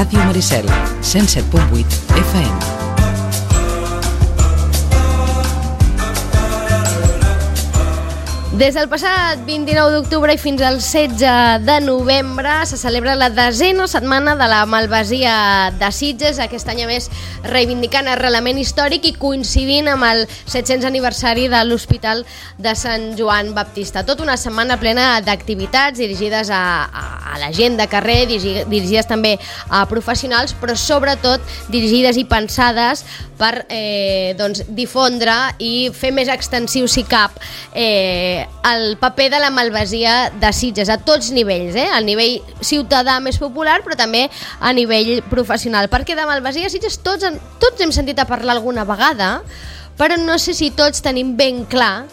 Ràdio Maricel, 107.8 FM. Des del passat 29 d'octubre i fins al 16 de novembre se celebra la 10ª setmana de la Malvasia de Sitges, aquest any a més reivindicant arrelament històric i coincidint amb el 700 aniversari de l'Hospital de Sant Joan Baptista. Tota una setmana plena d'activitats dirigides a la gent de carrer, dirigides també a professionals, però sobretot dirigides i pensades per difondre i fer més extensiu, si cap, el paper de la Malvasia de Sitges a tots nivells, al nivell ciutadà més popular, però també a nivell professional, perquè de Malvasia de Sitges tots hem sentit a parlar alguna vegada, però no sé si tots tenim ben clar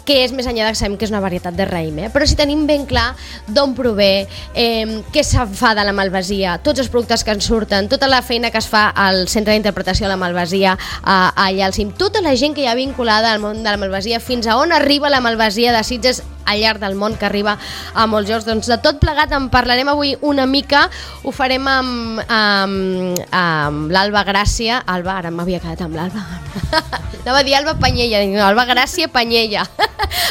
que és més enllà que sabem que és una varietat de raïm, però si tenim ben clar d'on prové, què se fa de la malvasia, tots els productes que en surten, tota la feina que es fa al Centre d'Interpretació de la Malvasia allà al cim, tota la gent que hi ha vinculada al món de la malvasia, fins a on arriba la malvasia de Sitges al llarg del món, que arriba a molts llocs. Doncs de tot plegat en parlarem avui una mica, ho farem amb l'Alba Gràcia. Alba, ara m'havia quedat amb l'Alba. Anava a dir Alba Panyella, no, Alba Gràcia Panyella.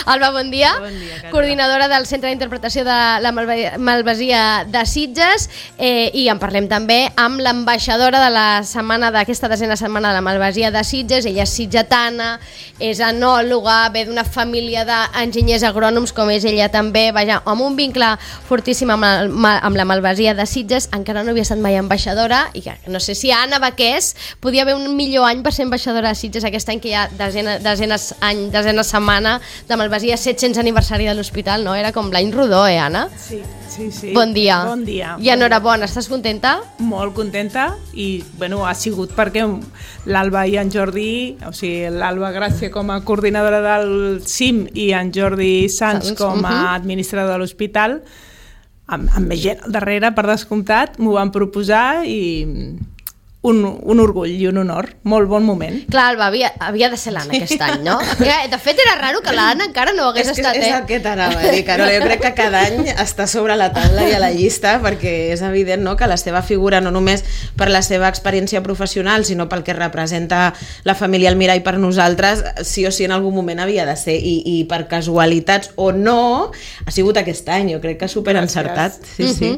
Alba, bon dia. Bon dia, coordinadora del Centre d'Interpretació de la Malvasia de Sitges, i en parlem també amb l'ambaixadora de la setmana, d'aquesta 10ª setmana de la Malvasia de Sitges. Ella és sitgetana, és enòloga, ve d'una família d'enginyers agrònoms com és ella també, vaja, amb un vincle fortíssim amb la Malvasia de Sitges. Encara no havia estat mai ambaixadora i no sé si Anna Baqués podia haver un millor any per ser ambaixadora de Sitges aquest any, que hi ha desena setmana de Malvasia, 700 aniversari de l'hospital, no? Era com l'any rodó, Anna? Sí. Bon dia. Bon dia. I enhorabona, estàs contenta? Molt contenta, i bueno, ha sigut perquè l'Alba i en Jordi, o sigui, l'Alba Gràcia com a coordinadora del CIM i en Jordi Sans com a administrador de l'hospital, amb més gent al darrere, per descomptat, m'ho van proposar i un orgull i un honor, molt bon moment. Clar, Alba, havia de ser l'Anna aquest any, no? De fet, era raro que l'Anna encara no hagués estat. És el que t'anava a dir, Carol. Jo crec que cada any està sobre la taula i a la llista, perquè és evident, no?, que la seva figura, no només per la seva experiència professional, sinó pel que representa la família Almirall per nosaltres, sí o sí en algun moment havia de ser, i per casualitats o no, ha sigut aquest any. Jo crec que superencertat. Sí.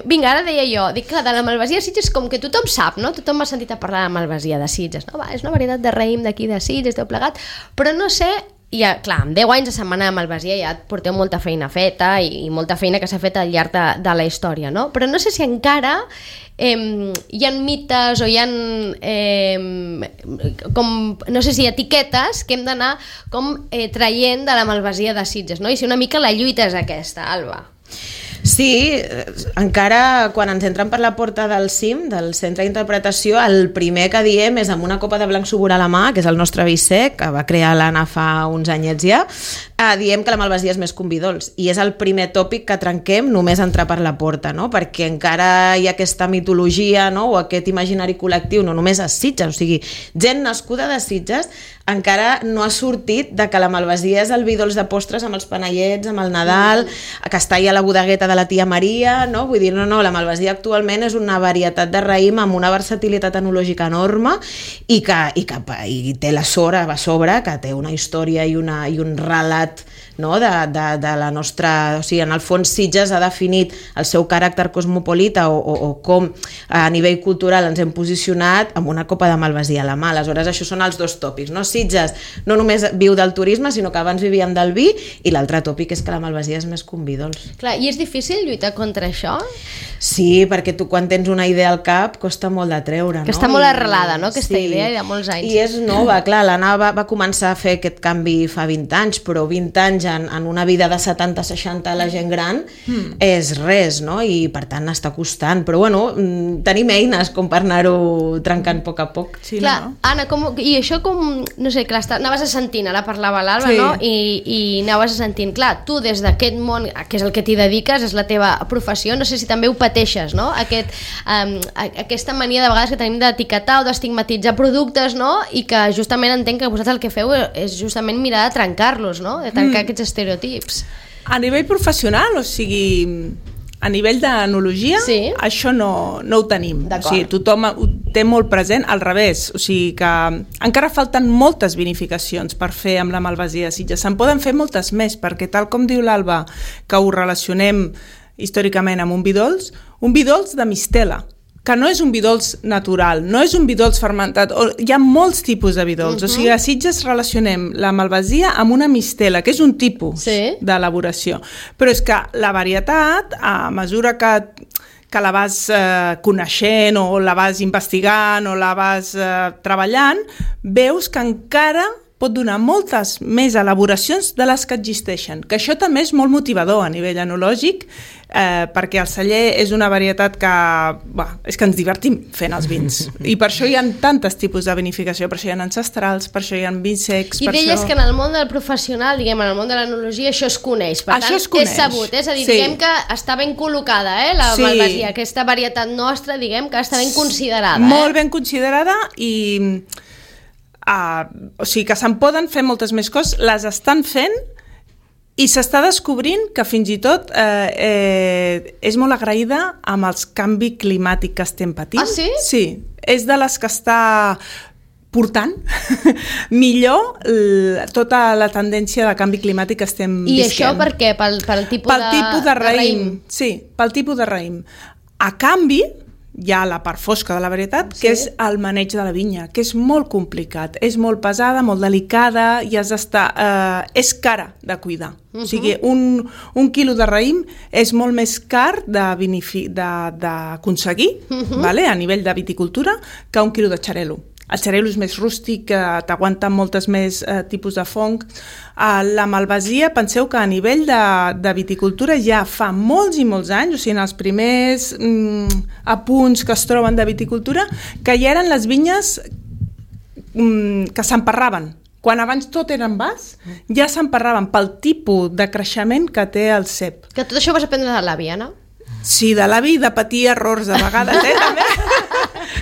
Vinga, ara deia jo, dic que de la Malvasia de Sitges com que tothom sap, no? Tothom m'ha sentit a parlar de Malvasia de Sitges, no? És una varietat de raïm d'aquí de Sitges, tot plegat, però no sé, ja, clar, amb 10 anys de setmana de Malvasia ja porteu molta feina feta i molta feina que s'ha fet al llarg de la història, no? Però no sé si encara hi ha mites o hi ha com, no sé si etiquetes que hem d'anar com traient de la Malvasia de Sitges, no? I si una mica la lluita és aquesta, Alba. Sí, encara quan ens entren per la porta del CIM, del Centre d'Interpretació, el primer que diem és amb una copa de blanc subur a la mà, que és el nostre vi sec, que va crear l'Anna fa uns anyets ja, diem que la malvasia és més que un vi dolç, i és el primer tòpic que trenquem només entrar per la porta, no? Perquè encara hi ha aquesta mitologia, no?, o aquest imaginari col·lectiu, no només a Sitges, o sigui, gent nascuda de Sitges encara no ha sortit de que la malvasia és el vi dolç de postres amb els panellets, amb el Nadal, que està allà a la bodegueta de la tia Maria, no? Vull dir, no, la malvasia actualment és una varietat de raïm amb una versatilitat enològica enorme i té la sort a sobre, que té una història i un relat, no?, de la nostra... O sigui, en el fons Sitges ha definit el seu caràcter cosmopolita o com a nivell cultural ens hem posicionat amb una copa de malvasia a la mà. Aleshores, això són els dos tòpics, no? Sitges no només viu del turisme, sinó que abans vivíem del vi, i l'altre tòpic és que la malvasia és més que un vi dolç. Clar, i és difícil lluitar contra això? Sí, perquè tu quan tens una idea al cap costa molt de treure, no? Que està molt arrelada, no?, aquesta idea de molts anys. I és nova, clar, l'Anna va començar a fer aquest canvi fa 20 anys, però 20 anys en una vida de 70-60 a la gent gran és res, no? I per tant està costant, però bueno, tenim eines com per anar-ho trencant a poc a poc. Sí, clar, no? Anna, i això com, no sé, clar, anaves assentint, ara parlava l'Alba, sí, no? I anaves assentint, clar, tu des d'aquest món, que és el que t'hi dediques, és la teva professió, no sé si també ho pateixes, no? Aquesta mania de vegades que tenim d'etiquetar o d'estigmatitzar productes, no? I que justament entenc que vosaltres el que feu és justament mirar de trencar-los, no? De trencar aquests estereotips. A nivell professional, o sigui, a nivell d'enologia, això no ho tenim. O sigui, tothom ho té molt present, al revés. O sigui que encara falten moltes vinificacions per fer amb la malvasia de Sitges. Se'n poden fer moltes més, perquè tal com diu l'Alba, que ho relacionem històricament amb un vi dolç de mistela, que no és un vi dolç natural, no és un vi dolç fermentat, hi ha molts tipus de vi dolç, o sigui, a Sitges relacionem la malvasia amb una mistela, que és un tipus d'elaboració, però és que la varietat, a mesura que la vas coneixent o la vas investigant o la vas treballant, veus que encara pot donar moltes més elaboracions de les que existeixen, que això també és molt motivador a nivell enològic, perquè el celler és una varietat que és que ens divertim fent els vins, i per això hi ha tantes tipus de vinificació, per això hi ha ancestrals, per això hi ha vins secs. I deies que en el món del professional, diguem, en el món de l'enologia, això es coneix, per tant, és sabut, és a dir, diguem que està ben col·locada, la malvasia, aquesta varietat nostra, diguem que està ben considerada. Molt ben considerada i... o sigui que se'n poden fer moltes més coses, les estan fent i s'està descobrint que fins i tot és molt agraïda amb els canvi climàtic que estem patint. Ah, sí? Sí, és de les que està portant millor tota la tendència de canvi climàtic que estem visquent. I això per què? Pel tipus de raïm? Sí, pel tipus de raïm. A canvi, hi ha la part fosca de la varietat, que és el maneig de la vinya, que és molt complicat, és molt pesada, molt delicada, i has d'estar... és cara de cuidar. O sigui, un quilo de raïm és molt més car d'aconseguir a nivell de viticultura que un quilo de xarel·lo. El xarel·lo és més rústic, t'aguanta moltes més tipus de fong. La malvasia, penseu que a nivell de viticultura ja fa molts i molts anys, o sigui, en els primers apunts que es troben de viticultura, que ja eren les vinyes que s'emparraven. Quan abans tot era en vas, ja s'emparraven pel tipus de creixement que té el cep. Que tot això ho vas aprendre de l'àvia, no? Sí, de l'avi, de patir errors de vegades, també.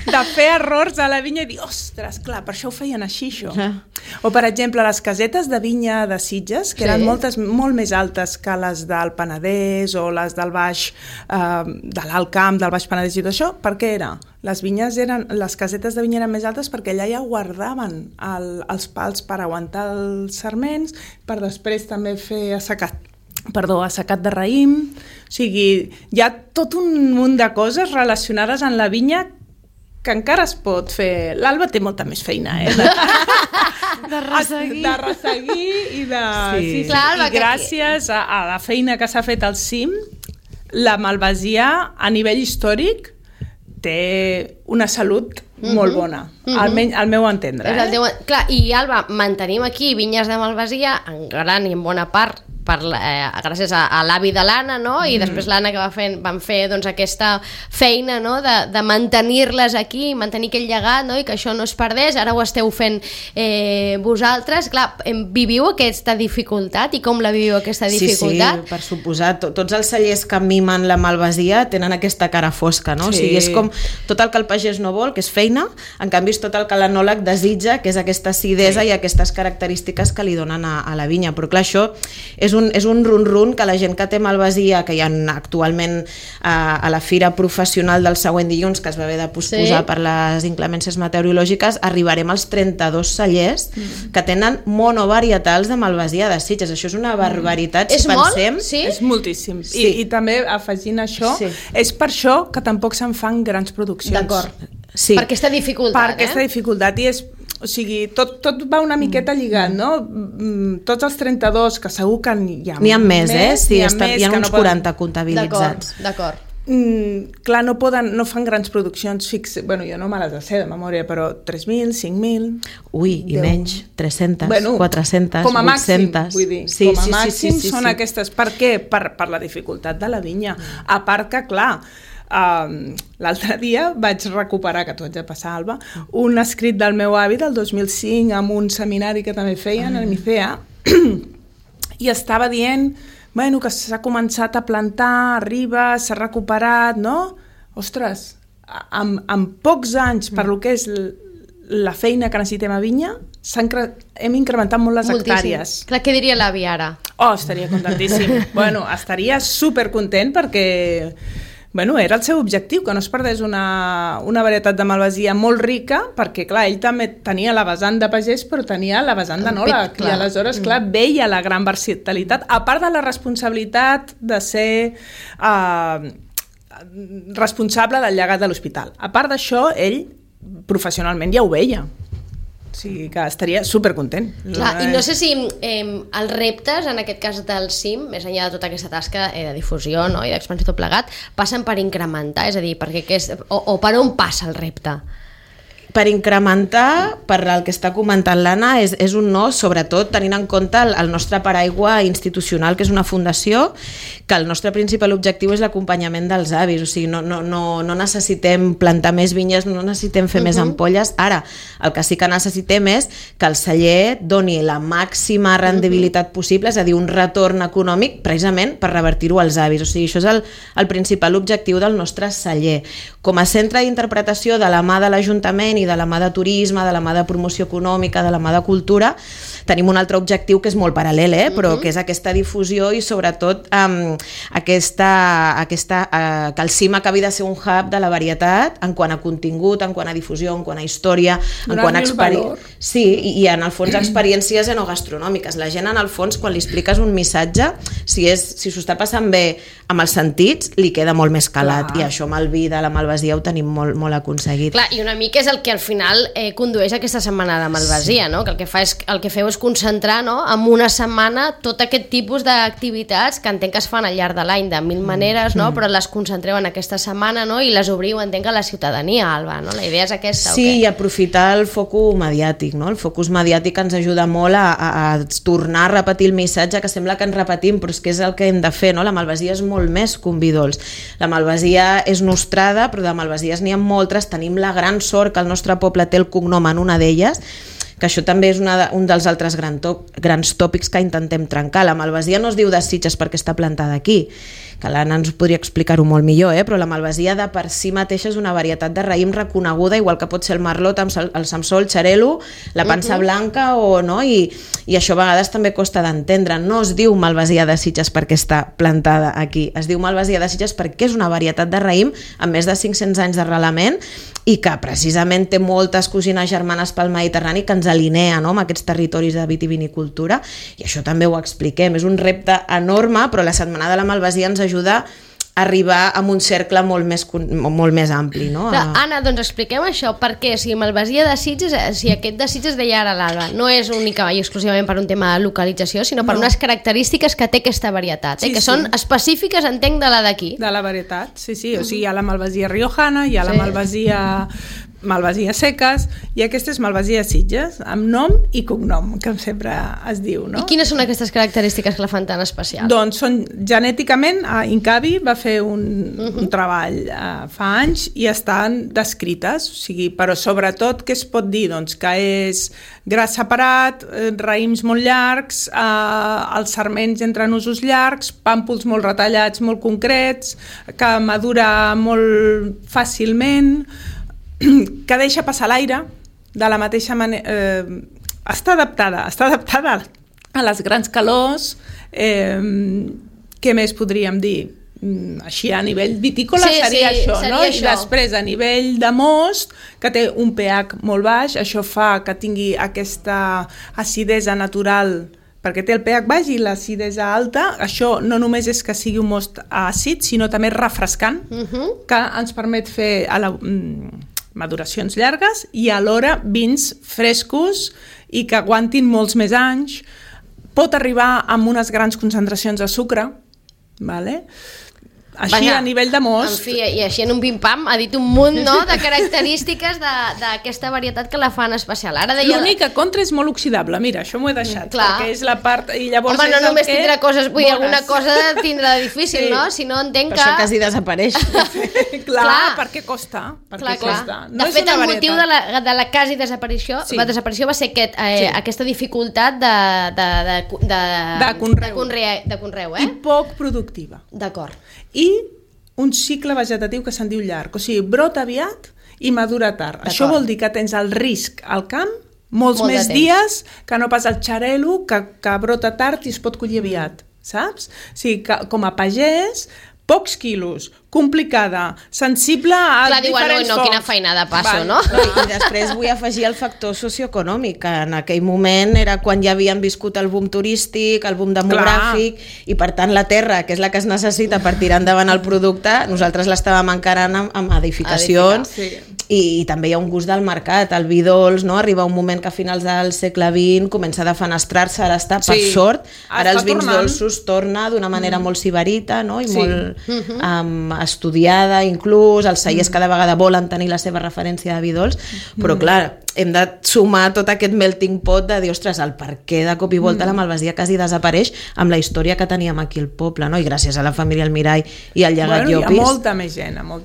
De fer errors a la vinya i dir, ostres, clar, per això ho feien així, això. O, per exemple, les casetes de vinya de Sitges, que eren molt més altes que les del Penedès o les del Baix, de l'Alt Camp, del Baix Penedès i tot això, per què era? Les casetes de vinya eren més altes perquè allà ja guardaven els pals per aguantar els sarments, per després també fer assecat de raïm. O sigui, hi ha tot un munt de coses relacionades amb la vinya que encara es pot fer. L'Alba té molta més feina, de resseguir i de... Sí, clar, i gràcies a la feina que s'ha fet al cim, la malvasia a nivell històric té una salut molt bona, almenys al meu entendre. Clar, i Alba, mantenim aquí vinyes de malvasia en gran i en bona part gràcies a l'avi de l'Anna, no? I després l'Anna que van fer doncs, aquesta feina, no? de mantenir-les aquí, mantenir aquell llegat, no? I que això no es perdés. Ara ho esteu fent vosaltres. Clar, viviu aquesta dificultat i com la viviu aquesta dificultat? Sí, per suposat. Tots els cellers que mimen la malvasia tenen aquesta cara fosca, no? O sigui, és com tot el que el pagès no vol, que és feina, en canvi és tot el que l'enòleg desitja, que és aquesta acidesa i aquestes característiques que li donen a la vinya. Però clar, això és un run-run que la gent que té malvasia, que hi ha actualment a la fira professional del següent dilluns, que es va haver de posposar per les inclemències meteorològiques, arribarem als 32 cellers que tenen monovarietals de malvasia de Sitges. Això és una barbaritat, si pensem. És moltíssim. I també, afegint això, és per això que tampoc se'n fan grans produccions. D'acord. Per aquesta dificultat. Per aquesta dificultat. I és... O sigui, tot va una miqueta lligat, no? Tots els 32, que segur que hi ha més, sí, hi ha uns 40 comptabilitzats. D'acord. Clar, no fan grans produccions fixes. Bueno, jo no me les sé de memòria, però 3.000, 5.000... Ui, i menys, 300, 400, 800... Com a màxim, vull dir. Com a màxim són aquestes. Per què? Per la dificultat de la vinya. A part que, clar... l'altre dia vaig recuperar, que t'ho haig de passar, Alba, un escrit del meu avi del 2005 amb un seminari que també feien a l'Emicea, i estava dient que s'ha començat a plantar, arriba, s'ha recuperat, no? Ostres, en pocs anys, per lo que és la feina que necessitem a vinya, hem incrementat molt les hectàrees. Clar, què diria l'avi ara? Estaria contentíssim. Estaria supercontent perquè era el seu objectiu, que no es perdés una varietat de malvasia molt rica, perquè, clar, ell també tenia la vessant de pagès, però tenia la vessant d'enòleg, i aleshores, clar, veia la gran versatilitat, a part de la responsabilitat de ser responsable del llegat de l'hospital. A part d'això, ell professionalment ja ho veia. O sigui que estaria supercontent. Clar, i no sé si els reptes, en aquest cas del CIM, més enllà de tota aquesta tasca de difusió, no? I d'expansió tot plegat, passen per incrementar, és a dir, o per on passa el repte? Per incrementar, per el que està comentant l'Anna, és un no, sobretot tenint en compte el nostre paraigua institucional, que és una fundació, que el nostre principal objectiu és l'acompanyament dels avis, o sigui, no necessitem plantar més vinyes, no necessitem fer més ampolles. Ara, el que sí que necessitem és que el celler doni la màxima rendibilitat possible, és a dir, un retorn econòmic precisament per revertir-ho als avis. O sigui, això és el principal objectiu del nostre celler. Com a centre d'interpretació de la mà de l'Ajuntament i de la mà de turisme, de la mà de promoció econòmica, de la mà de cultura, tenim un altre objectiu que és molt paral·lel, però que és aquesta difusió i sobretot que el CIM acabi de ser un hub de la varietat en quant a contingut, en quant a difusió, en quant a història, en quant a experiència. Sí, i en el fons experiències enogastronòmiques. La gent, en el fons, quan li expliques un missatge, si s'ho està passant bé amb els sentits, li queda molt més calat. I això amb el vi de la malvasia ho tenim molt aconseguit. Clar, i una mica és el que al final condueix aquesta setmana de malvasia, no? Que el que feu és concentrar, no, en una setmana tot aquest tipus d'activitats que entenc que es fan al llarg de l'any de mil maneres, no? Però les concentreu en aquesta setmana, no? I les obriu, entenc, a la ciutadania, Alba, no? La idea és aquesta, sí, i aprofitar el focus mediàtic, no? El focus mediàtic ens ajuda molt a tornar a repetir el missatge, que sembla que ens repetim, però és que és el que hem de fer, no? La malvasia és molt més que un vi dolç. La malvasia és nostrada, però de malvasies n'hi ha moltes. Tenim la gran sort que el nostre poble té el cognom en una d'elles, que això també és un dels altres grans tòpics que intentem trencar. La malvasia no es diu de Sitges perquè està plantada aquí, que l'Anna ens podria explicar-ho molt millor, però la malvasia de per si mateixa és una varietat de raïm reconeguda, igual que pot ser el merlot, el samsó, el xarel·lo, la pansa blanca, i això a vegades també costa d'entendre. No es diu malvasia de Sitges perquè està plantada aquí, es diu malvasia de Sitges perquè és una varietat de raïm amb més de 500 anys d'arrelament i que precisament té moltes cosines germanes pel Mediterrani que ens alinea, no?, amb aquests territoris de vitivinicultura, i això també ho expliquem. És un repte enorme, però la Setmana de la Malvasia ens ajuda a arribar a un cercle molt més ampli, no? Anna, doncs expliquem això, perquè si malvasia de Sitges, si aquest de Sitges deia ara l'Alba, no és únicament i exclusivament per un tema de localització, sinó per unes característiques que té aquesta varietat, que són específiques, entenc, de la d'aquí. De la varietat, sí. O sigui, hi ha la malvasia riojana, hi ha la malvasia seques, i aquesta és malvasia Sitges, amb nom i cognom, que sempre es diu, no? I quines són aquestes característiques que la fan tan especial? Doncs són genèticament, Incavi va fer un treball fa anys i estan descrites, o sigui, però sobretot què es pot dir? Doncs que és gra separat, raïms molt llargs, els sarments entre nusos llargs, pàmpols molt retallats, molt concrets, que madura molt fàcilment, que deixa passar l'aire de la mateixa manera, està adaptada a les grans calors. Què més podríem dir? Així a nivell vitícola seria això, no? I després a nivell de most, que té un pH molt baix, això fa que tingui aquesta acidesa natural, perquè té el pH baix i l'acidesa alta. Això no només és que sigui un most àcid, sinó també refrescant, que ens permet fer maduracions llargues i alhora vins frescos i que aguantin molts més anys. Pot arribar amb unes grans concentracions de sucre, vale? Així, a nivell de most. En fi, i així en un pim-pam ha dit un munt, no?, de característiques d'aquesta varietat que la fan especial. L'única contra és molt oxidable, mira, això m'ho he deixat, perquè és la part... Home, no només tindrà coses, vull dir, alguna cosa tindrà difícil, no? Si no entenc que... Per això quasi desapareix. Clar, perquè costa. De fet, el motiu de la quasi desaparició, la desaparició va ser aquesta dificultat de conreu, i poc productiva. D'acord. I un cicle vegetatiu que se'n diu llarg, o sigui, brota aviat i madura tard. Això vol dir que tens el risc al camp molts Molt de més temps. dies que no pas el xarel·lo que brota tard i es pot collir aviat, saps? O sigui, que, com a pagès, pocs quilos, complicada, sensible a Clar, diuen, diferents no, fonts. quina feinada passo, no? I després vull afegir el factor socioeconòmic, que en aquell moment era quan ja havien viscut el boom turístic, el boom demogràfic, i per tant la terra, que és la que es necessita per tirar endavant el producte, nosaltres l'estàvem encarant amb edificacions, i també hi ha un gust del mercat, el vi dolç, no? Arriba un moment que a finals del segle XX comença a defenestrar-se, ara està per sort, ara els vins dolços torna d'una manera molt sibarita, no? I molt estudiada, inclús els cellers cada vegada volen tenir la seva referència de vi dolç, però clar, hem de sumar tot aquest melting pot de dir, ostres, el per què de cop i volta la Malvasia quasi desapareix amb la història que teníem aquí al poble, no? I gràcies a la família Almirall i al llegat Llopis. Hi ha molta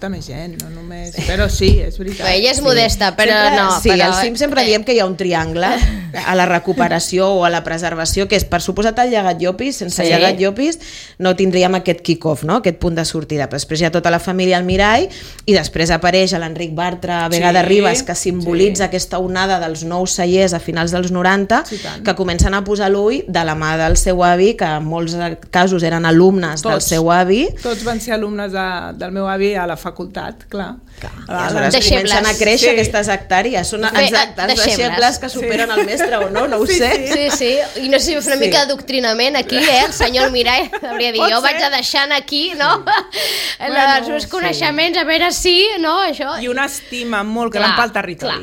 més gent, no només... Però sí, és veritat. Bé, ella és modesta, però sempre, no... Sí, però... al CIM sempre diem que hi ha un triangle a la recuperació o a la preservació, que és, per suposat, el llegat Llopis. Sense llegat Llopis no tindríem aquest kick-off, no? Aquest punt de sortida. Però després hi ha tota la família Almirall i després apareix l'Enric Bartra a Vega de Ribes, que simbolitza aquesta onada dels nous cellers a finals dels 90, que comencen a posar l'ull de la mà del seu avi, que en molts casos eren alumnes del seu avi. Tots van ser alumnes del meu avi a la facultat, clar. Aleshores comencen a créixer aquestes hectàrees. Són exactes, deixebles que superen el mestre o no, no ho sé. Sí. I no sé, una mica d'adoctrinament aquí, el senyor Almirall hauria dit, jo vaig a deixant aquí, no? Els meus coneixements, a veure si, no, això... I una estima molt gran pel territori.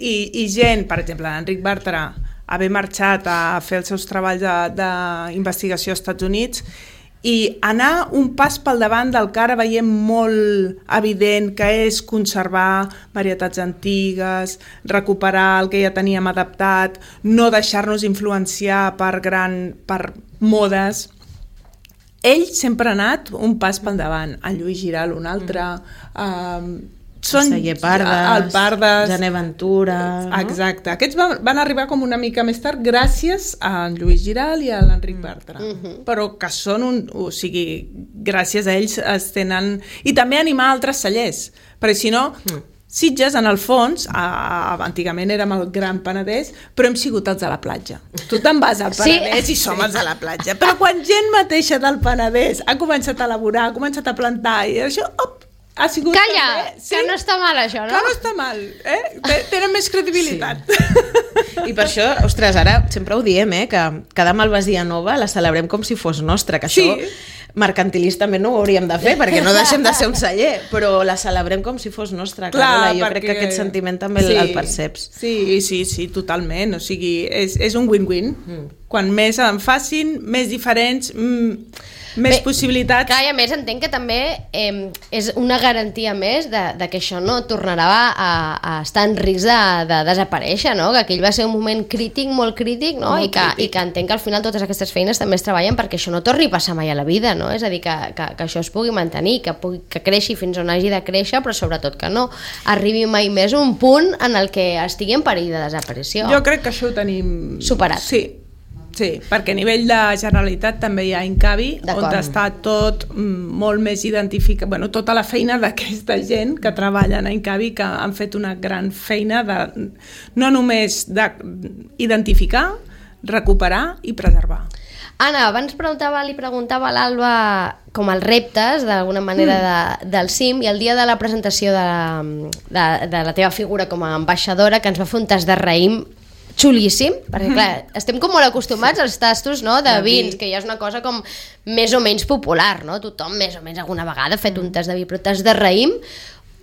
I gent, per exemple, l'Enric Bartra, haver marxat a fer els seus treballs d'investigació als Estats Units i anar un pas pel davant del que ara veiem molt evident, que és conservar varietats antigues, recuperar el que ja teníem adaptat, no deixar-nos influenciar per modes. Ell sempre ha anat un pas pel davant, en Lluís Giral un altre, són Celler Pardes, Pardes, Gené Ventura... No? Exacte. Aquests van arribar com una mica més tard gràcies a en Lluís Giral i a l'Enric Bartra. Però que són o sigui, gràcies a ells es tenen... I també animar altres cellers, perquè si no... Sitges, en el fons, antigament érem el Gran Penedès, però hem sigut els de la platja. Tu te'n vas al Penedès i som els de la platja. Però quan gent mateixa del Penedès ha començat a elaborar, ha començat a plantar, i això, ha sigut... Calla, també, que no està mal això, no? Que no està mal, tenen més credibilitat. I per això, ostres, ara sempre ho diem, que cada Malvasia nova la celebrem com si fos nostra, que això mercantilistament no ho hauríem de fer, perquè no deixem de ser un celler, però la celebrem com si fos nostra. Clar, jo crec que aquest sentiment també el perceps. Sí, totalment. O sigui, és un win-win. Quan més en facin, més diferents... més possibilitats. Clar, i a més entenc que també és una garantia més de que això no tornarà a estar en risc de desaparèixer, no? Que aquell va ser un moment crític, molt crític, no? I que entenc que al final totes aquestes feines també es treballen perquè això no torni a passar mai a la vida, no? És a dir, que això es pugui mantenir, que creixi fins on hagi de créixer, però sobretot que no arribi mai més a un punt en el que estigui en perill de desaparició. Jo crec que això ho tenim... Superat. Sí, perquè a nivell de Generalitat també hi ha Incavi, on està tot molt més identificat, tota la feina d'aquesta gent que treballen a Incavi, que han fet una gran feina no només d'identificar, recuperar i preservar. Anna, abans li preguntava a l'Alba com els reptes, d'alguna manera, del CIM, i el dia de la presentació de la teva figura com a ambaixadora, que ens va fer un tast de raïm xulíssim, perquè clar, estem com molt acostumats als tastos, no, de vins, que ja és una cosa com més o menys popular, no? Tothom més o menys alguna vegada ha fet un tast de vi, però tast de raïm,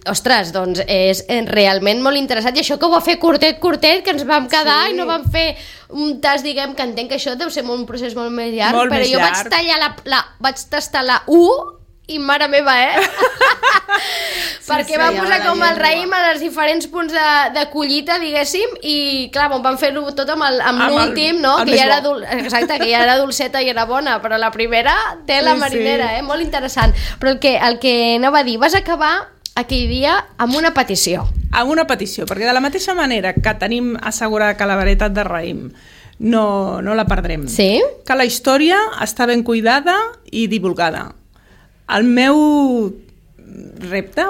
ostres, doncs és realment molt interessant, i això que ho va fer curtet, que ens vam quedar i no vam fer un tast, diguem, que entenc que això deu ser un procés molt més llarg, però jo vaig tastar la U i mare meva, perquè va posar com el raïm en els diferents punts de collita, diguéssim, i clar, vam fer-lo tot amb l'últim, no? Que ja era dolceta i era bona, però la primera té la marinera, molt interessant. Però el que anava a dir, vas acabar aquell dia amb una petició. Amb una petició, perquè de la mateixa manera que tenim assegurada que la varietat de raïm no la perdrem, que la història està ben cuidada i divulgada. El meu repte,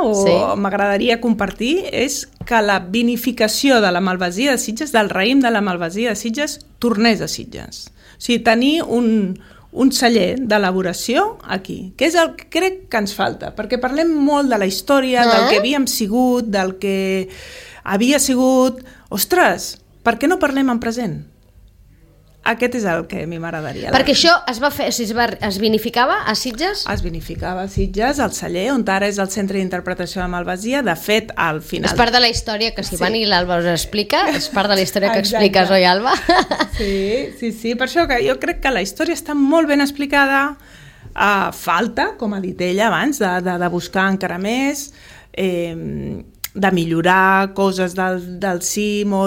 m'agradaria compartir, és que la vinificació de la Malvasia de Sitges, del raïm de la Malvasia de Sitges, tornés a Sitges. O sigui, tenir un celler d'elaboració aquí, que és el que crec que ens falta, perquè parlem molt de la història, del que havíem sigut, del que havia sigut... Ostres, per què no parlem en present? Aquest és el que a mi m'agradaria. Perquè això es va fer, es vinificava a Sitges? Es vinificava a Sitges, al celler, on ara és el Centre d'Interpretació de Malvasia. De fet, al final... És part de la història que si van i l'Alba us explica, és part de la història que expliques, oi, Alba? Sí, per això que jo crec que la història està molt ben explicada. Falta, com ha dit ella abans, de buscar encara més, de millorar coses del CIM o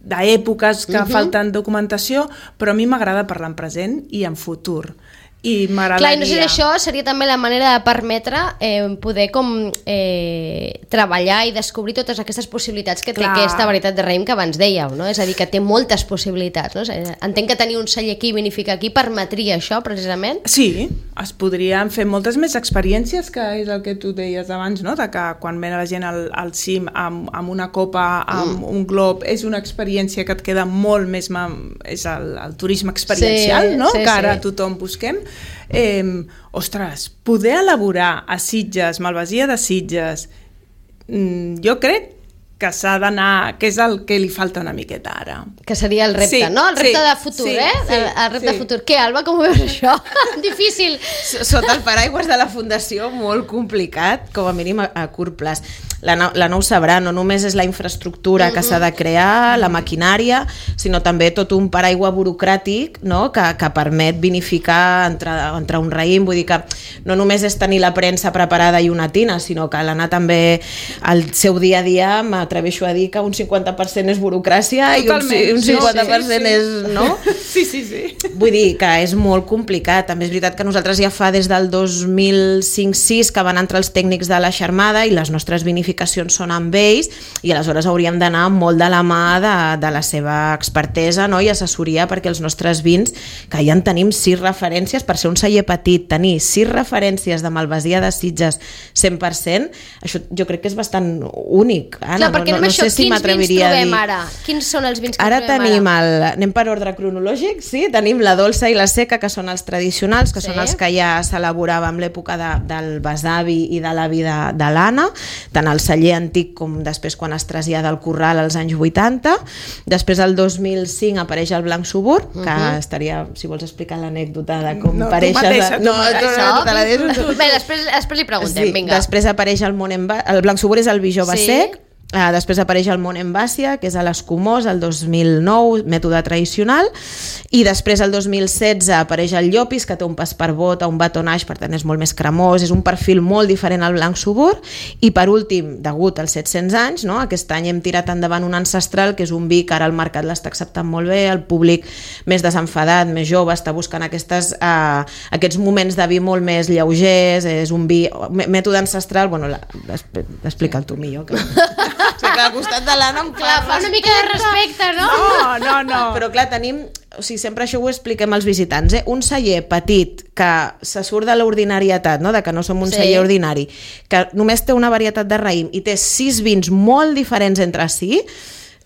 d'èpoques que falten documentació, però a mi m'agrada parlar en present i en futur. I m'agradaria... Clar, i no sé si això seria també la manera de permetre poder com treballar i descobrir totes aquestes possibilitats que té aquesta varietat de raïm que abans dèieu, no? És a dir, que té moltes possibilitats, no? Entenc que tenir un celler aquí i vinificar aquí permetria això, precisament? Sí, es podrien fer moltes més experiències, que és el que tu deies abans, no? De que quan ve la gent al cim amb una copa, amb un glob, és una experiència que et queda molt més... És el turisme experiencial, no? Que ara tothom busquem. Ostres, poder elaborar a Sitges, Malvasia de Sitges, jo crec que s'ha d'anar, que és el que li falta una miqueta ara. Que seria el repte, no? El repte de futur, el repte de futur. Què, Alba, com ho veus això? Difícil. Sota el paraigües de la Fundació, molt complicat, com a mínim a curt plaç. La Nou sabrà, no només és la infraestructura que s'ha de crear, la maquinària, sinó també tot un paraigua burocràtic, no? que permet vinificar entre un raïm. Vull dir que no només és tenir la premsa preparada i una tina, sinó que l'anar també al seu dia a dia, m'atreveixo a dir que un 50% és burocràcia. Totalment. I un 50% és... No? Sí. Vull dir que és molt complicat. També és veritat que nosaltres ja fa des del 2005-06 que van entrar els tècnics de la Xarmada i les nostres vinificacions són amb ells, i aleshores hauríem d'anar molt de la mà de la seva expertesa, no? I assessoria, perquè els nostres vins, que ja en tenim 6 referències, per ser un celler petit, tenir 6 referències de Malvasia de Sitges 100%, això jo crec que és bastant únic. Clar, perquè no sé si m'atreviria a dir... Quins vins trobem ara? Quins són els vins que ara trobem ara? Anem per ordre cronològic, sí? Tenim la dolça i la seca, que són els tradicionals, que són els que ja s'elaborava en l'època del besavi i de l'avi de l'Anna, tant el celler antic com després quan es trasllada al Corral als anys 80. Després el 2005 apareix el Blanc Suburb, que estaria, si vols explicar l'anècdota de com apareixes... Bé, després li preguntem, vinga. Després apareix el Blanc Suburb, és el vi jove sec. Després apareix el Mont Envàcia, que és a l'Escumós, el 2009, mètode tradicional, i després el 2016 apareix el Llopis, que té un pas per bota, un batonage, per tant és molt més cremós, és un perfil molt diferent al Blanc Suburb, i per últim, degut als 700 anys, no? Aquest any hem tirat endavant un ancestral, que és un vi que ara el mercat l'està acceptant molt bé, el públic més desenfadat, més jove, està buscant aquests moments de vi molt més lleugers, és un vi, mètode ancestral, bueno, explica'l tu millor, que... O sigui, que al costat de l'Anna em fa una mica de respecte, no? No. Però clar, tenim... O sigui, sempre això ho expliquem als visitants, un celler petit que se surt de l'ordinarietat, no? De que no som un celler ordinari, que només té una varietat de raïm i té 6 vins molt diferents entre si,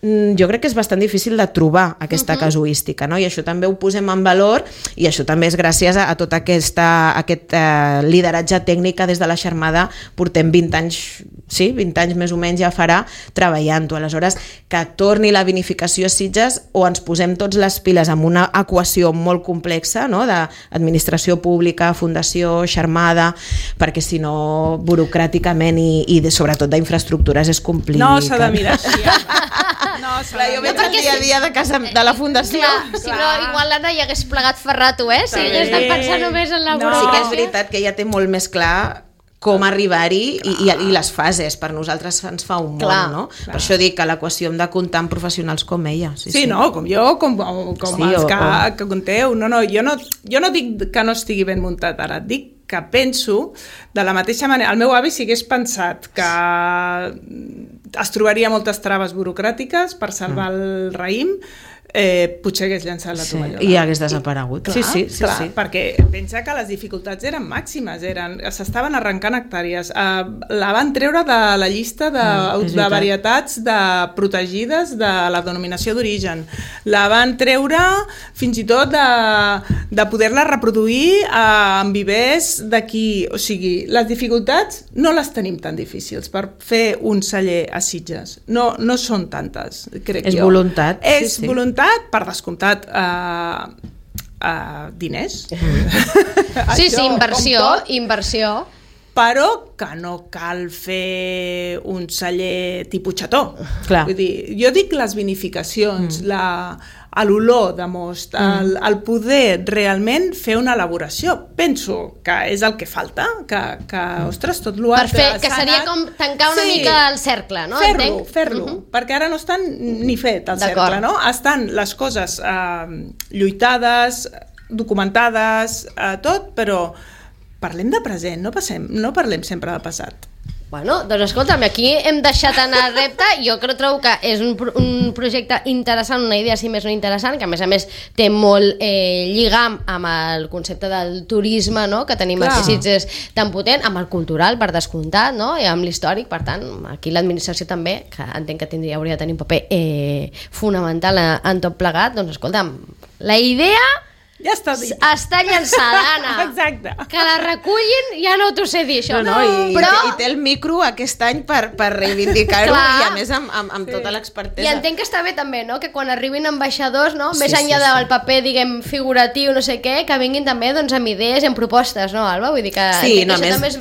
jo crec que és bastant difícil de trobar aquesta casuística, no? I això també ho posem en valor, i això també és gràcies a tot aquest lideratge tècnic que des de la Xarmada portem 20 anys, sí, 20 anys més o menys ja farà treballant-ho. Aleshores, que torni la vinificació a Sitges, o ens posem tots les piles amb una equació molt complexa, no? D'administració pública, fundació, Xarmada, perquè si no, burocràticament i sobretot d'infraestructures és complicat. No s'ha de mirar així. Clar, jo veig el dia a dia de casa de la Fundació. Clar, si no, igual l'Anna hi hagués plegat ferrato, si hagués de pensar només en la burocràcia. Sí que és veritat que ella té molt més clar com arribar-hi i les fases. Per nosaltres ens fa un món, no? Per això dic que l'equació hem de comptar amb professionals com ella. Sí, no, com jo, com els que conteu. No, jo no dic que no estigui ben muntat ara, dic que penso de la mateixa manera. El meu avi si hagués pensat que es trobaria moltes traves burocràtiques per salvar el raïm, potser hagués llançat la tovallola. I hagués desaparegut. Clar, Sí, perquè pensa que les dificultats eren màximes, s'estaven arrencant hectàrees. La van treure de la llista de varietats protegides de la denominació d'origen. La van treure fins i tot de poder-la reproduir en vivers d'aquí. O sigui, les dificultats no les tenim tan difícils per fer un celler a Sitges. No són tantes, crec jo. És voluntat. És voluntat, per descomptat, diners. Sí, inversió. Però que no cal fer un celler tipus xató. Vull dir, jo dic les vinificacions, l'olor de most, el poder realment fer una elaboració. Penso que és el que falta, que ostres, tot l'altre... Per fer, que seria com tancar una mica el cercle, no? Fer-lo, perquè ara no estan ni fet el cercle, no? Estan les coses lluitades, documentades, tot, però parlem de present, no parlem sempre de passat. Bueno, doncs escolta'm, aquí hem deixat anar el repte. Jo trobo que és un projecte interessant, una idea, si més no interessant, que a més té molt lligam amb el concepte del turisme, no?, que tenim aquí a Sitges tan potent, amb el cultural, per descomptat, no?, i amb l'històric. Per tant, aquí l'administració també, que entenc que hauria de tenir un paper fonamental en tot plegat. Doncs escolta'm, la idea... Ja està dit. Està llançada, Anna. Exacte. Que la recullin, ja no t'ho sé dir, això. I té el micro aquest any per reivindicar-ho, i a més amb tota l'expertesa. I entenc que està bé també, no?, que quan arribin ambaixadors, no?, més enllà del paper, diguem, figuratiu, no sé què, que vinguin també doncs amb idees i amb propostes, no, Alba? Vull dir que entenc que això també és...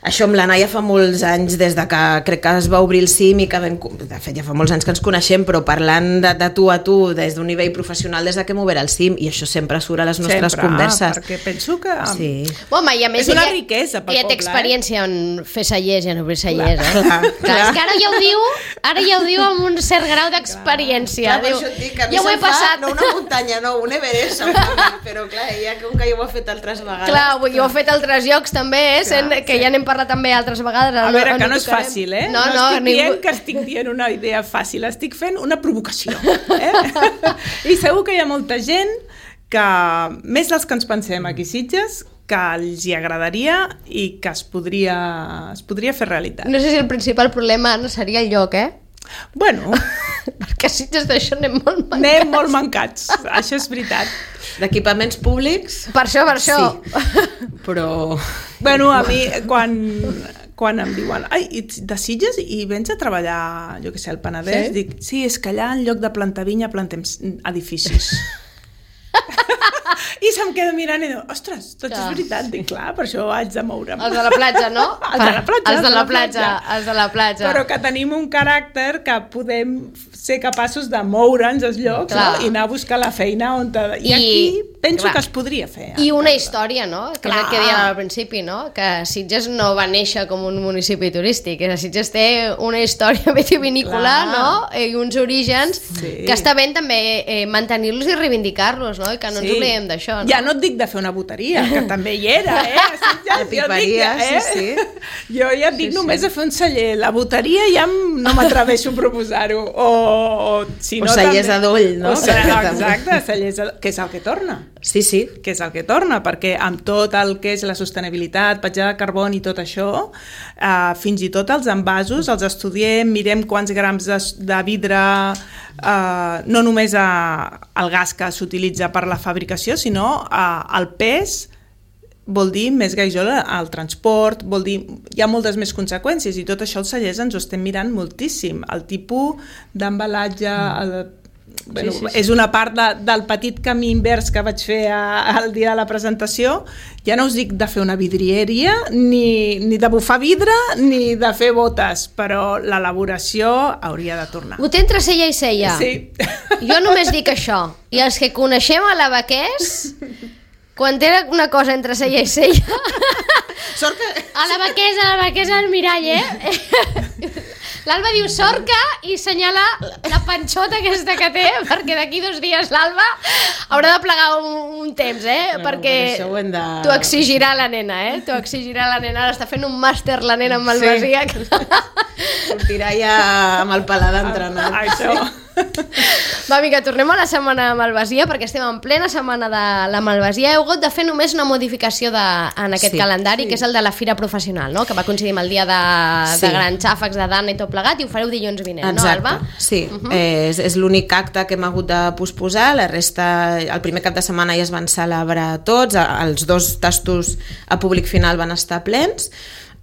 Això amb l'Anna ja fa molts anys, des de que crec que es va obrir el CIM, i que de fet ja fa molts anys que ens coneixem, però parlant de tu a tu, des d'un nivell professional, des de que hem obert el CIM, i això sempre surt a les nostres converses. Perquè penso que Home, i a més, és una riquesa pel poble. Ja té experiència en fer cellers i en obrir cellers, Clar. És que ara ja ho diu amb un cert grau d'experiència. Per això et dic que a mi se'm fa, no una muntanya, no, un Everest, però clar, ja com que jo ho he fet altres vegades. Clar, jo ho he fet a altres llocs també, que ja n'hem parlat també altres vegades. A veure, que no és fàcil, No estic dient que estic dient una idea fàcil, estic fent una provocació. I segur que hi ha molta gent que, més dels que ens pensem aquí a Sitges, que els hi agradaria i que es podria fer realitat. No sé si el principal problema no seria el lloc, Bueno... perquè a Sitges d'això anem molt mancats. Anem molt mancats, això és veritat. D'equipaments públics? Per això. Sí, però... Bueno, a mi, quan em diuen ets de Sitges i vens a treballar, jo què sé, al Penedès, dic, sí, és que allà en lloc de plantar vinya plantem edificis. I se'm queda mirant i diu, ostres, tot és veritat. Dic, clar, per això haig de moure'm. Els de la platja, no? Els de la platja. Però que tenim un caràcter que podem ser capaços de moure'ns als llocs, no? I anar a buscar la feina on... I aquí penso que es podria fer. I una història, no? Que és el que dèiem al principi, no? Que Sitges no va néixer com un municipi turístic. Sitges té una història vitivinícola, no? I uns orígens que està bé també mantenir-los i reivindicar-los, no? I que no ens oblidem d'això, no? Ja no et dic de fer una boteria, que també hi era, La piperia, sí. Jo ja et dic només de fer un celler. La boteria ja no m'atreveixo a proposar-ho. O cellers d'adoll, no? Exacte, cellers d'adoll, que és el que torna. Sí. Que és el que torna, perquè amb tot el que és la sostenibilitat, petjada de carboni i tot això, fins i tot els envasos els estudiem, mirem quants grams de vidre, no només el gas que s'utilitza per la fabricació, sinó el pes, vol dir més gasoil al transport, vol dir, hi ha moltes més conseqüències, i tot això els cellers ens ho estem mirant moltíssim. El tipus d'embalatge, és una part del petit camí invers que vaig fer el dia de la presentació. Ja no us dic de fer una vidrieria, ni de bufar vidre, ni de fer botes, però l'elaboració hauria de tornar. Ho té entre cella i cella. Sí. Jo només dic això. I els que coneixem a l'Abaquès, quan té una cosa entre cella i cella... Sort que... A l'Abaquès al mirall, L'Alba diu sorca i senyala la panxota aquesta que té, perquè d'aquí 2 dies l'Alba haurà de plegar un temps, perquè t'ho exigirà la nena, t'ho exigirà la nena. Ara està fent un màster la nena amb malvasia. Sortirà ja amb el paladar entrenat. Això... Va, vinga, tornem a la setmana de Malvasia, perquè estem en plena setmana de la Malvasia. Heu hagut de fer només una modificació en aquest calendari, que és el de la Fira Professional, no? Que va coincidir amb el dia de grans xàfecs, de Dana i tot plegat, i ho fareu dilluns vinent, no, Alba? Sí, és l'únic acte que hem hagut de posposar. La resta, el primer cap de setmana ja es van celebrar tots, els 2 tastos a públic final van estar plens.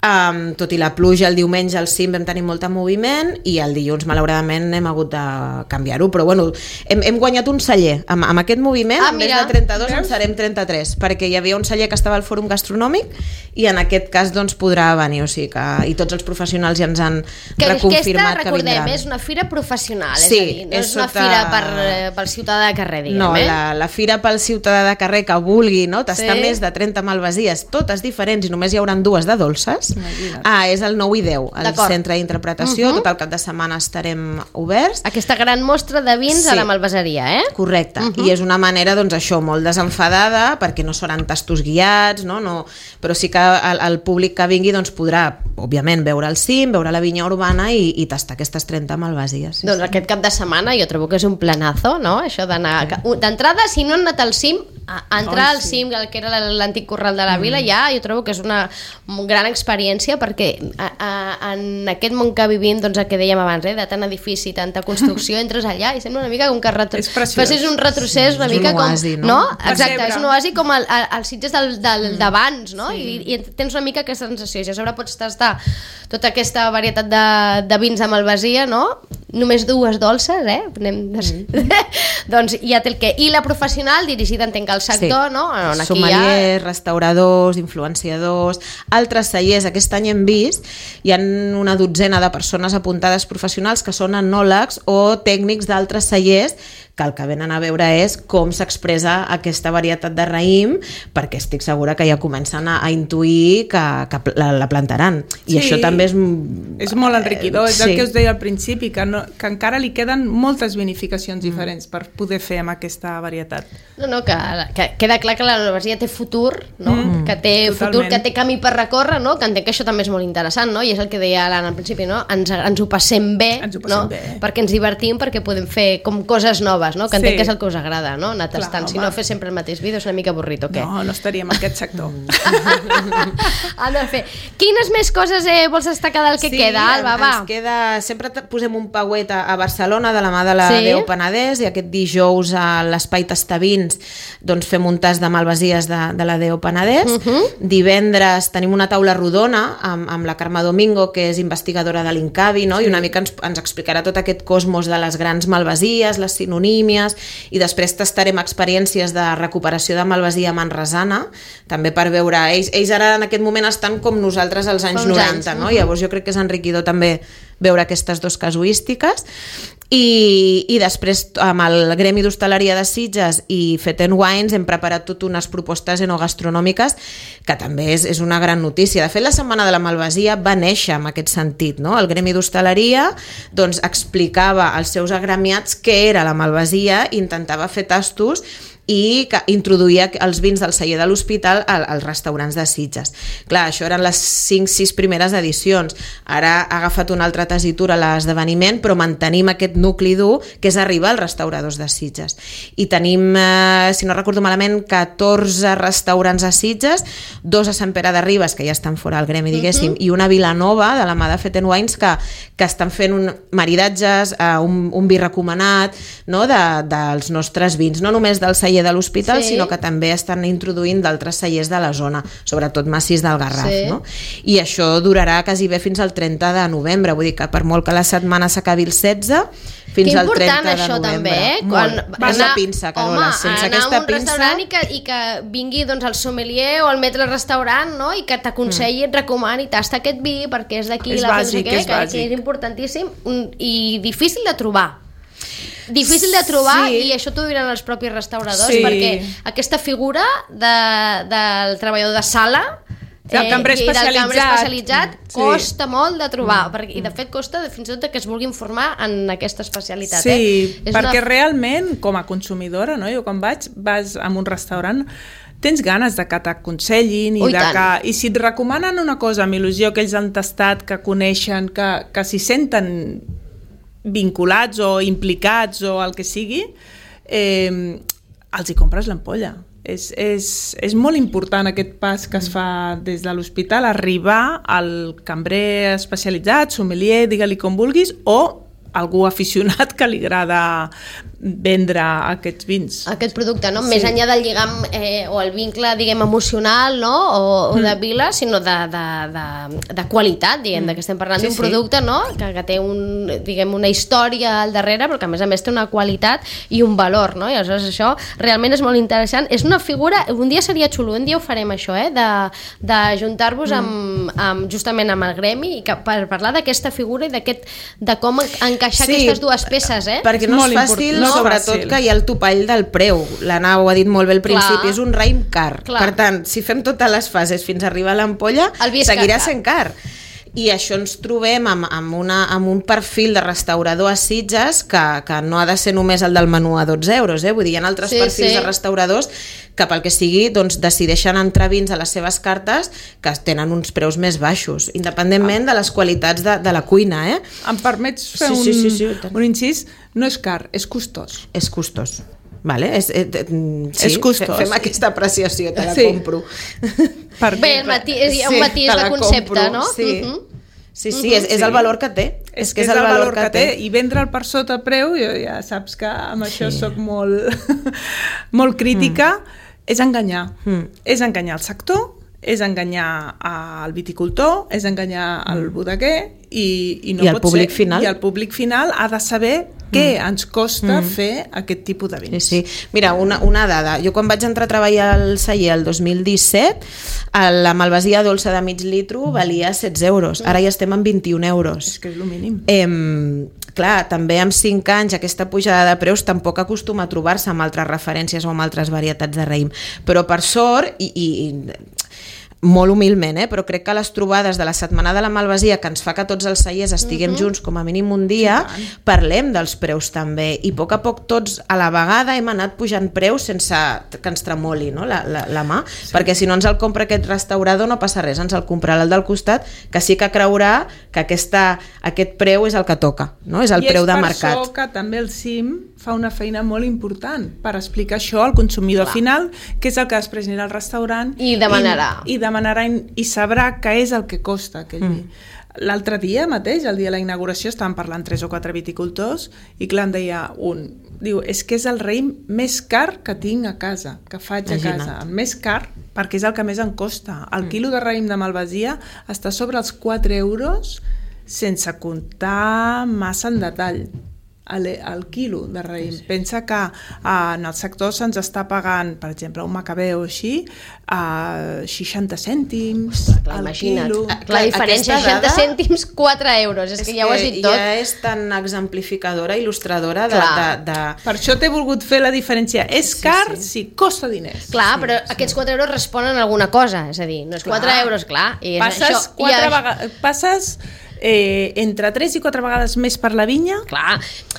Tot i la pluja, el diumenge al cim vam tenir molt de moviment i el dilluns malauradament hem hagut de canviar-ho, però bueno, hem guanyat un celler amb aquest moviment. En vez de 32 en serem 33, perquè hi havia un celler que estava al Fòrum Gastronòmic i en aquest cas doncs podrà venir, o sigui que, i tots els professionals ja ens han reconfirmat que vindran. Recordem, és una fira professional, és a dir, no és una fira pel ciutadà de carrer, diguem. No, la fira pel ciutadà de carrer que vulgui, no? Tastar més de 30 malvasies, totes diferents, i només hi haurà 2 de dolces. És el 9 i 10, al centre d'interpretació. Tot el cap de setmana estarem oberts. Aquesta gran mostra de vins a la malvaseria, Correcte, i és una manera, doncs això, molt desenfadada, perquè no seran tastos guiats, no? Però sí que el públic que vingui doncs podrà, òbviament, veure el cim, veure la vinya urbana i tastar aquestes 30 malvasies. Doncs aquest cap de setmana jo trobo que és un planazo, no? Això d'anar... D'entrada, si no han anat al cim, entrar al cim, que era l'antic corral de la vila, ja jo trobo que és una gran experiència, perquè en aquest món que vivim, doncs el que dèiem abans, de tant edifici, tanta construcció, entres allà i sembla una mica com que facis un retrocés una mica com... no? Exacte, és un oasi com els Sitges d'abans, no? I tens una mica aquesta sensació, i a sobre pots tastar tota aquesta varietat de vins de Malvasia, no? Només 2 dolces, doncs ja té el què. I la professional, dirigida, entenc, al sector, no? Sommeliers, restauradors, influenciadors, altres cellers. Aquest any hem vist, hi ha una 12 de persones apuntades professionals que són enòlegs o tècnics d'altres cellers que el que venen a veure és com s'expressa aquesta varietat de raïm, perquè estic segura que ja comencen a intuir que la plantaran. I això també és molt enriquidor, és el que us deia al principi, que encara li queden moltes vinificacions diferents per poder fer amb aquesta varietat. No, que queda clar que la Malvasia té futur, no? Que té futur, que té camí per recórrer, no? Que entenc que això també és molt interessant, no? I és el que deia l'Anna al principi, no? Ens ho passem bé, no? Perquè ens divertim, perquè podem fer com coses noves, no? Que entenc que és el que us agrada, no? Anar tastant, si no fer sempre el mateix vídeo és una mica avorrit, o què? No estaríem en aquest sector. Quines més coses vols destacar del que queda, Alba? Va. Ens queda, sempre posem un pauet a Barcelona de la mà de la Déu Penedès, i aquest dijous a l'Espai Tastavins doncs fem un tas de malvasies de la Déu Penedès. Divendres tenim una taula rodona amb la Carme Domingo, que és investigadora de l'Incavi, no? I una mica ens explicarà tot aquest cosmos de les grans malvasies, les sinonímies, i després tastarem experiències de recuperació de malvasia manresana, també per veure, ells ara en aquest moment estan com nosaltres als anys 90, no? Llavors jo crec que és enriquidor també veure aquestes 2 casuístiques. I després amb el Gremi d'Hostaleria de Sitges i Fet & Wines hem preparat tot unes propostes enogastronòmiques que també és una gran notícia. De fet, la Setmana de la Malvasia va néixer en aquest sentit, no? El Gremi d'Hostaleria doncs explicava als seus agremiats què era la malvasia i intentava fer tastos i que introduïa els vins del celler de l'Hospital als restaurants de Sitges. Clar, això eren les 5-6 primeres edicions. Ara ha agafat una altra tessitura l'esdeveniment, però mantenim aquest nucli dur que és arribar als restauradors de Sitges. I tenim, si no recordo malament, 14 restaurants a Sitges, 2 a Sant Pere de Ribes, que ja estan fora del gremi, diguéssim, i una Vilanova, de la mà de Fet & Wines, que estan fent maridatges, un vi recomanat, no? dels nostres vins, no només del celler de l'Hospital, sinó que també estan introduint d'altres cellers de la zona, sobretot massís del Garraf, no? I això durarà quasi bé fins al 30 de novembre, vull dir que per molt que la setmana s'acabi el 16, fins al 30 de novembre. Que important això també, Vas a pinça, Carola, sense aquesta pinça... Anar a un restaurant i que vingui doncs, el sommelier o el maître restaurant, no? I que t'aconselli, et recomani, tasta aquest vi perquè és d'aquí, és bàsic, és bàsic. Que és importantíssim i difícil de trobar. I això t'ho diran els propis restauradors, perquè aquesta figura del treballador de sala del cambrer especialitzat costa molt de trobar, i de fet costa fins i tot que es vulguin formar en aquesta especialitat. Perquè realment com a consumidora, no? Jo quan vas a un restaurant tens ganes de que t'aconsellin i si et recomanen una cosa amb il·lusió que ells han tastat, que coneixen, que s'hi senten vinculats o implicats o el que sigui, els hi compres l'ampolla. És molt important aquest pas que es fa des de l'hospital, arribar al cambrer especialitzat, sommelier, digue-li com vulguis, o algú aficionat que li agrada vendre aquests vins. Aquest producte, no? Més enllà del lligam o el vincle, diguem, emocional, no? O de vila, sinó de qualitat, diguem, que estem parlant d'un producte, no? Que té una història al darrere, però que a més té una qualitat i un valor, no? I aleshores això realment és molt interessant. És una figura, un dia seria xulo, un dia ho farem això, de juntar-vos justament amb el gremi i per parlar d'aquesta figura i de com encaixar aquestes dues peces, perquè no és fàcil, sobretot que hi ha el topall del preu. L'Anna ho ha dit molt bé al principi, és un raïm car. Per tant, si fem totes les fases fins a arribar a l'ampolla, seguirà sent car. I això ens trobem amb un perfil de restaurador a Sitges que no ha de ser només el del menú a 12 euros, vull dir, hi ha altres perfils de restauradors que pel que sigui decideixen entrar vins a les seves cartes que tenen uns preus més baixos, independentment de les qualitats de la cuina. Em permets fer un incís? No és car, és costós. És costós. Vale, és costós. Fem aquesta apreciació, te la compro. Bé, hi ha un matís de concepte, no? Sí, és el valor que té. És que és el valor que té. I vendre'l per sota preu, jo ja saps que amb això soc molt crítica, és enganyar. És enganyar el sector, és enganyar el viticultor, és enganyar el bodeguer i no pot ser. I el públic final ha de saber què ens costa fer aquest tipus de vins. Sí. Mira, una dada. Jo quan vaig entrar a treballar al celler el 2017, la malvasia dolça de mig litro valia 16 euros. Ara ja estem en 21 euros. És que és el mínim. Clar, també amb 5 anys aquesta pujada de preus tampoc acostuma a trobar-se amb altres referències o amb altres varietats de raïm. Però per sort, i molt humilment, però crec que les trobades de la Setmana de la Malvasia, que ens fa que tots els cellers estiguem junts com a mínim un dia, parlem dels preus també, i a poc tots a la vegada hem anat pujant preus sense que ens tremoli, no? la mà, perquè si no ens el compra aquest restaurador no passa res, ens el comprarà el del costat, que sí que creurà que aquest preu és el que toca, no? És el preu de mercat. I és per això que també el CIM fa una feina molt important per explicar això al consumidor final, que és el que després anirà al restaurant i demanarà i sabrà què és el que costa aquell vi. L'altre dia mateix, el dia de la inauguració, estàvem parlant 3 o 4 viticultors i clar, em deia un, diu, és que és el raïm més car que tinc a casa, que faig a casa, el més car perquè és el que més em costa. El quilo de raïm de malvasia està sobre els 4 euros sense comptar massa en detall. El quilo de raïm. Pensa que en el sector se'ns està pagant, per exemple, un macabeu així, 60 cèntims al quilo. La diferència, 60 cèntims, 4 euros. És que ja ho has dit tot. Ja és tan exemplificadora, il·lustradora de... Per això t'he volgut fer la diferència. És car, sí, costa diners. Clar, però aquests 4 euros responen a alguna cosa. És a dir, no és 4 euros, clar. Passes entre 3 i 4 vegades més per la vinya. Clar,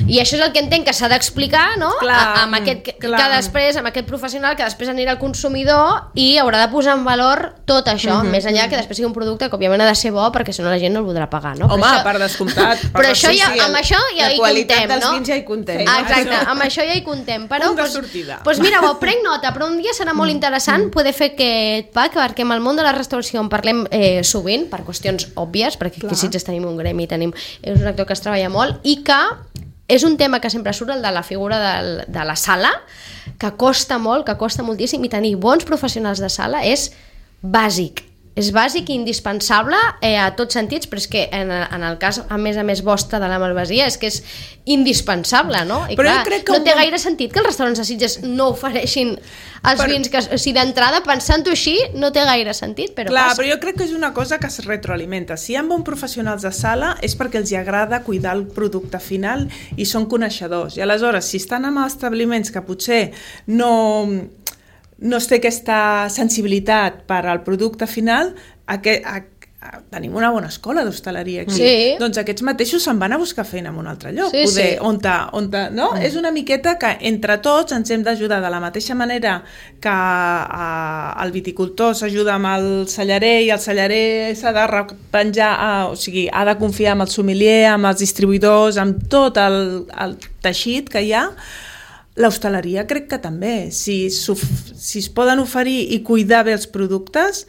i això és el que entenc que s'ha d'explicar, no? Amb aquest professional que després anirà al consumidor i haurà de posar en valor tot això, més enllà que després sigui un producte que òbviament ha de ser bo perquè si no la gent no el voldrà pagar, no? Home, per descomptat. Però això amb això ja hi contem, no? La qualitat dels vins ja hi contem. Exacte, amb això ja hi contem. Punt de sortida. Doncs mira, ho prenc nota, però un dia serà molt interessant poder fer aquest pack, perquè amb el món de la restauració en parlem sovint, per qüestions òbvies, perquè aquí sí tenim un gremi, és un actor que es treballa molt i que és un tema que sempre surt, el de la figura de la sala, que costa molt, que costa moltíssim, i tenir bons professionals de sala és bàsic i indispensable a tots sentits, però és que en el cas a més vostre de la malvasia és que és indispensable, no? I però clar, no té gaire sentit que els restaurants de Sitges no ofereixin els vins, que, o sigui, d'entrada, pensant-ho així, no té gaire sentit, però clar, però jo crec que és una cosa que es retroalimenta. Si hi ha bons professionals de sala és perquè els agrada cuidar el producte final i són coneixedors, i aleshores, si estan en establiments que potser no es té aquesta sensibilitat per al producte final, tenim una bona escola d'hostaleria aquí. Sí. Doncs aquests mateixos se'n van a buscar feina en un altre lloc. Sí, sí. No? És una miqueta que entre tots ens hem d'ajudar de la mateixa manera que el viticultor s'ajuda amb el cellarer i el cellarer s'ha de repenjar, o sigui, ha de confiar amb el sommelier, amb els distribuïdors, amb tot el teixit que hi ha. L'hostaleria crec que també. Si es poden oferir i cuidar bé els productes,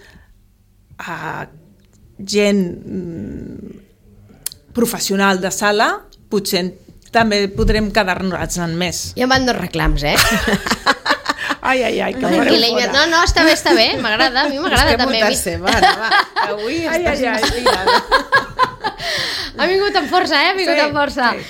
gent professional de sala, potser també podrem quedar-nos en més. Ja em van 2 reclams, Ai, que fareu fora. No, està bé, m'agrada, a mi m'agrada també. Va, avui estàs inspirada. Ha vingut amb força, ha vingut amb força. Sí.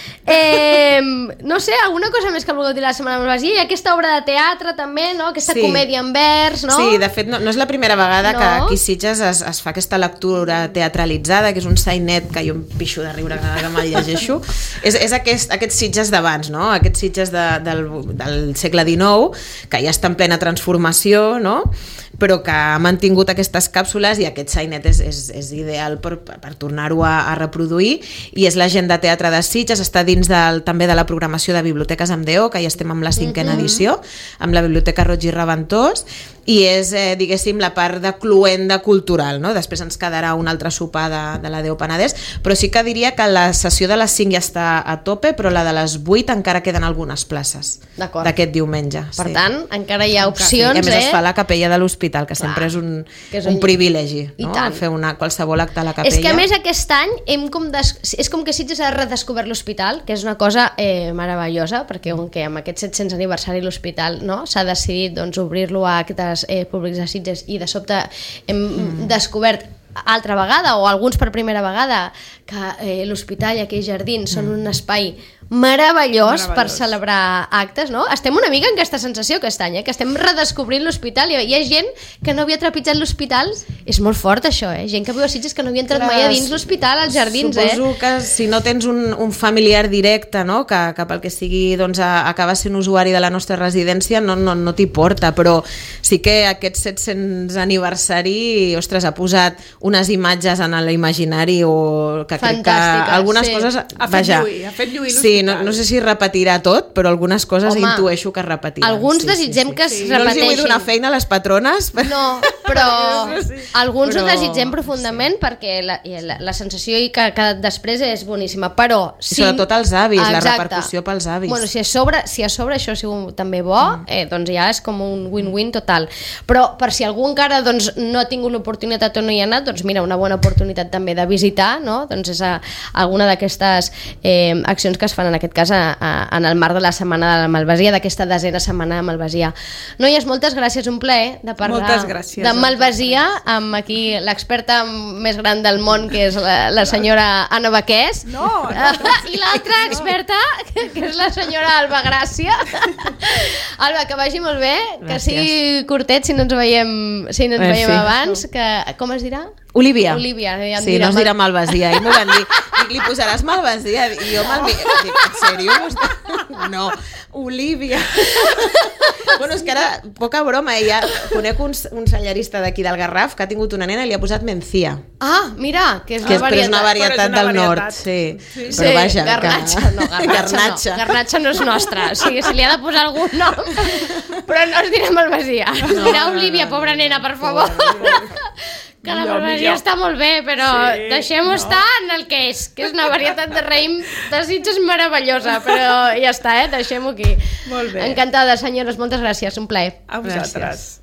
No sé, alguna cosa més que vulgueu dir la setmana de Malvasia? I aquesta obra de teatre també, no? Aquesta comèdia en vers, no? Sí, de fet, no és la primera vegada que aquí a Sitges es fa aquesta lectura teatralitzada, que és un sainet que jo em pixo de riure cada vegada que me'l llegeixo. És aquests Sitges d'abans, no? Aquests Sitges del segle XIX, que ja està en plena transformació, no? Però que ha mantingut aquestes càpsules, i aquest sainet és ideal per tornar-ho a reproduir, i és la gent de teatre de Sitges, està dins també de la programació de Biblioteques amb D.O., que ja estem amb la 5a edició, amb la Biblioteca Roig i Reventós, i és, diguéssim, la part de cluenda cultural, no? Després ens quedarà un altre sopar de la D.O. Penedès, però sí que diria que la sessió de les 5 ja està a tope, però la de les 8 encara queden algunes places d'aquest diumenge. Per tant, encara hi ha opcions. I a més es fa a la capella de l'hospital, que sempre és un privilegi, no? Fer qualsevol acte a la capella. És que a més aquest any és com que Sitges ha redescobert l'hospital, que és una cosa meravellosa, perquè amb aquest 700 aniversari de l'hospital, no? S'ha decidit obrir-lo a actes públics de Sitges, i de sobte hem descobert altra vegada, o alguns per primera vegada, que l'hospital i aquells jardins són un espai meravellós per celebrar actes, no? Estem una mica en aquesta sensació aquest any, que estem redescobrint l'hospital, i hi ha gent que no havia trepitjat l'hospital. És molt fort això, gent que viu a Sitges que no havia entrat mai a dins l'hospital, als jardins. Suposo que si no tens un familiar directe, no? que pel que sigui acaba sent usuari de la nostra residència, no t'hi porta, però sí que aquest 700 aniversari, ostres, ha posat unes imatges en l'imaginari, o que crec que algunes coses... Ha fet lluir l'hospital. Sí, no sé si repetirà tot, però algunes coses intueixo que es repetiran. Alguns desitgem que es repeteixin. No els hi vull donar feina a les patrones. No, però alguns ho desitgem profundament, perquè la sensació que després és boníssima, però sí... Sobretot els avis, la repercussió pels avis. Bueno, si a sobre això ha sigut també bo, doncs ja és com un win-win total. Però per si algú encara no ha tingut l'oportunitat o no hi ha anat, doncs mira, una bona oportunitat també de visitar, no? Doncs és alguna d'aquestes accions que es fan en aquest cas en el marc de la Setmana de la Malvasia, d'aquesta 10a Setmana de Malvasia. Noies, moltes gràcies, un plaer de parlar de Malvasia amb aquí l'experta més gran del món, que és la senyora Anna Baqués, i l'altra experta, que és la senyora Alba Gràcia. Alba, que vagi molt bé, que sigui curtet si no ens veiem abans, que com es dirà? Olívia. Ja sí, no es dirà Malvasia. I m'ho van dir, li posaràs Malvasia? I jo dic, en sèrio? No, Olívia. Bueno, és que ara, poca broma, ja conec un cellerista d'aquí del Garraf que ha tingut una nena i li ha posat Mencía. Ah, mira, que és una varietat del nord. Sí, però vaja. Garnatxa no és nostra. O sigui, se li ha de posar algun nom, però no es dirà Malvasia. Es dirà Olívia, pobra nena, per favor. Que la Malvasia està molt bé, però deixem-ho estar en el que és una varietat de raïm de Sitges meravellosa, però ja està, deixem-ho aquí. Molt bé. Encantada, senyores, moltes gràcies, un plaer. A vosaltres.